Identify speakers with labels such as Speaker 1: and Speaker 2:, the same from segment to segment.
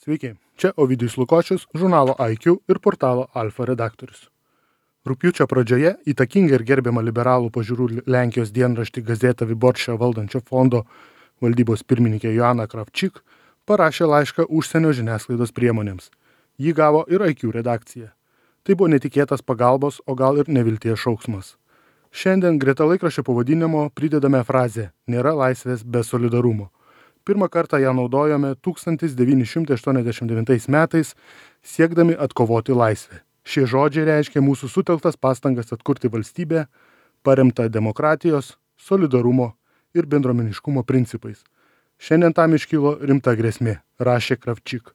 Speaker 1: Sveiki, čia Ovidijus Lukočius, žurnalo IQ ir portalo Alfa redaktorius. Rugpjūčio pradžioje įtakinga ir gerbiama liberalų pažiūrų Lenkijos dienraštį Gazetą Wyborczą valdančio fondo valdybos pirmininkė Joanna Krawczyk parašė laišką užsienio žiniasklaidos priemonėms. Jį gavo ir IQ redakcija. Tai buvo netikėtas pagalbos, o gal ir nevilties šauksmas. Šiandien greta laikraščio pavadinimo pridedame frazę "Nėra laisvės be solidarumo". Pirmą kartą ją naudojome 1989 metais, siekdami atkovoti laisvę. Šie žodžiai reiškia mūsų sutelktas pastangas atkurti valstybę, paremtą demokratijos, solidarumo ir bendruomeniškumo principais. Šiandien tam iškilo rimta grėsmė, rašė Krawczyk.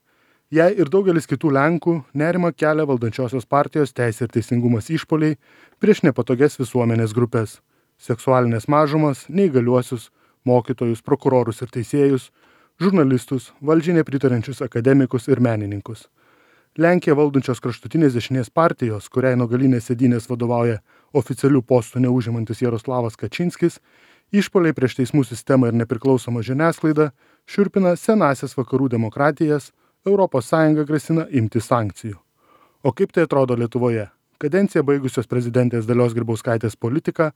Speaker 1: Jai ir daugelis kitų Lenkų nerimą kelia valdančiosios partijos Teisė ir teisingumas išpuoliai prieš nepatogias visuomenės grupės - seksualinės mažumas, neįgaliuosius, mokytojus, prokurorus ir teisėjus, žurnalistus, valdžiai nepritarančius akademikus ir menininkus. Lenkiją valdančios kraštutinės dešinės partijos, kuriai nuo galinės sėdynės vadovauja oficialių postų neužimantis Jaroslavas Kačinskis, išpuoliai prieš teismų sistemą ir nepriklausomą žiniasklaidą šiurpina senąsias vakarų demokratijas, ES grasina imti sankcijų. O kaip tai atrodo Lietuvoje? Kadenciją baigusios prezidentės Dalios Grybauskaitės politika,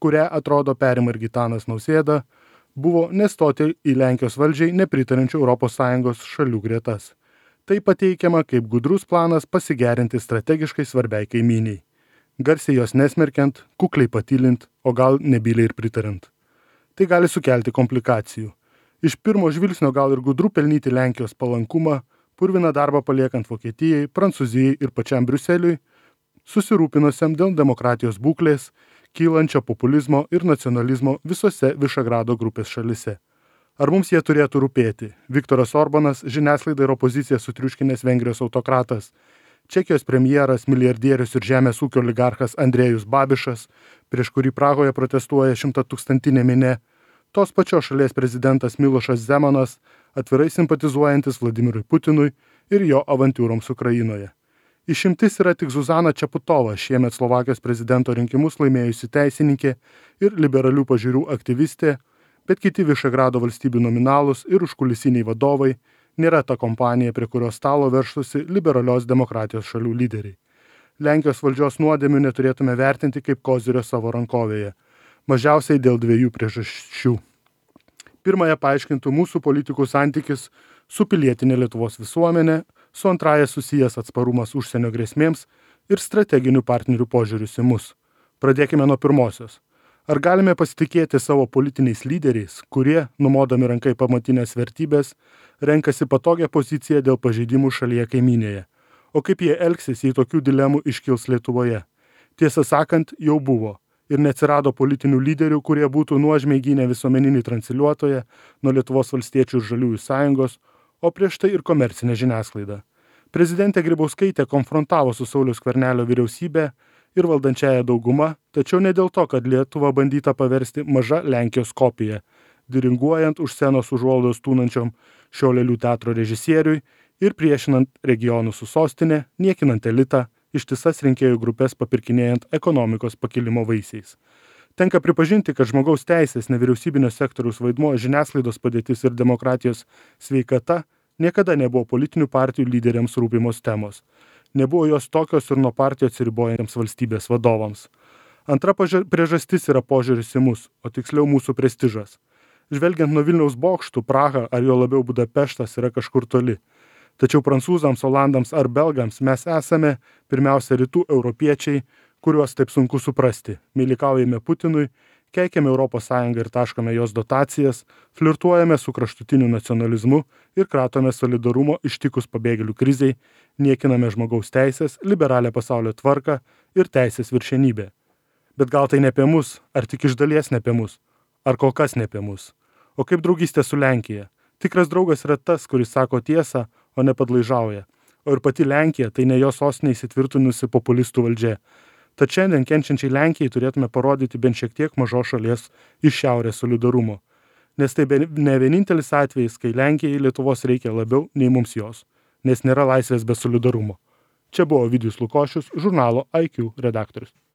Speaker 1: kurią atrodo perima ir Gitanas Nausėda, buvo nestoti į Lenkijos valdžiai nepritarančių ES šalių gretas. Tai pateikiama kaip gudrus planas pasigerinti strategiškai svarbiai kaimyniai. Garsiai jos nesmerkiant, kukliai patylint, o gal nebyliai ir pritarint. Tai gali sukelti komplikacijų. Iš pirmo žvilgsnio gal ir gudru pelnyti Lenkijos palankumą, purviną darbą paliekant Vokietijai, Prancūzijai ir pačiam Briuseliui, susirūpinusiam dėl demokratijos būklės, kylančio populizmo ir nacionalizmo visose Višegrado grupės šalise. Ar mums jie turėtų rūpėti? Viktoras Orbanas, žiniasklaida ir opozicija sutriuškinęs Vengrijos autokratas, Čekijos premjeras, milijardierius ir žemės ūkio oligarchas Andrejus Babišas, prieš kurį Prahoje protestuoja 100-tūkstantinė minia, tos pačios šalies prezidentas Milošas Zemanas, atvirai simpatizuojantis Vladimirui Putinui ir jo avantiūroms Ukrainoje. Išimtis yra tik Zuzana Čaputova, šiemet Slovakijos prezidento rinkimus laimėjusi teisininkė ir liberalių pažiūrų aktyvistė, bet kiti Višegrado valstybių nominalūs ir užkulisiniai vadovai nėra ta kompanija, prie kurios stalo verštųsi liberalios demokratijos šalių lyderiai. Lenkijos valdžios nuodėmių neturėtume vertinti kaip kozirio savo rankovėje, mažiausiai dėl dviejų priežasčių. Pirmąją paaiškintų mūsų politikų santykis su pilietinė Lietuvos visuomenė, su antraja susijęs atsparumas užsienio grėsmėms ir strateginių partnerių požiūrius į mus. Pradėkime nuo pirmosios. Ar galime pasitikėti savo politiniais lyderiais, kurie, numodami rankai pamatinės vertybės, renkasi patogią poziciją dėl pažeidimų šalyje kaimynėje? O kaip jie elgsis, jei tokių dilemų iškils Lietuvoje? Tiesą sakant, jau buvo. Ir neatsirado politinių lyderių, kurie būtų nuožmiai gynę visuomeninį transliuotoją nuo Lietuvos valstiečių ir žaliųjų sąjungos, o prieš tai ir komercinę žiniasklaidą. Prezidentė Grybauskaitė konfrontavo su Sauliaus Skvernelio vyriausybė ir valdančiąją daugumą, tačiau ne dėl to, kad Lietuva bandyta paversti maža Lenkijos kopija, diringuojant už scenos užuolaidos tūnančiom šio lėlių teatro režisieriui ir priešinant regionų su sostinė, niekinant elitą, ištisas rinkėjų grupės papirkinėjant ekonomikos pakilimo vaisiais. Tenka pripažinti, kad žmogaus teisės, nevyriausybinio sektoriaus vaidmuo, žiniasklaidos padėtis ir demokratijos sveikata niekada nebuvo politinių partijų lyderiams rūpimos temos. Nebuvo jos tokios ir nuo partijų atsiribojantiems valstybės vadovams. Antra priežastis yra požiūris į mus, o tiksliau mūsų prestižas. Žvelgiant nuo Vilniaus bokštų, Praha ar jo labiau Budapeštas yra kažkur toli. Tačiau prancūzams, olandams ar belgams mes esame pirmiausia rytų europiečiai, kuriuos taip sunku suprasti. Meilikaujame Putinui, keikiame ES ir taškome jos dotacijas, flirtuojame su kraštutiniu nacionalizmu ir kratome solidarumo ištikus pabėgėlių krizei, niekiname žmogaus teisės, liberalią pasaulio tvarką ir teisės viršenybę. Bet gal tai ne apie mus, ar tik iš dalies ne apie mus, ar kol kas ne apie mus. O kaip draugystė su Lenkija? Tikras draugas yra tas, kuris sako tiesą, o ne padlaižauja. O ir pati Lenkija tai ne jos sostinė įsitvirtinusi populistų valdžia. Tad šiandien kenčiančiai Lenkijai turėtume parodyti bent šiek tiek mažos šalies iš šiaurės solidarumo. Nes tai ne vienintelis atvejis, kai Lenkijai Lietuvos reikia labiau nei mums jos. Nes nėra laisvės be solidarumo. Čia buvo Ovidijus Lukočius, žurnalo IQ redaktorius.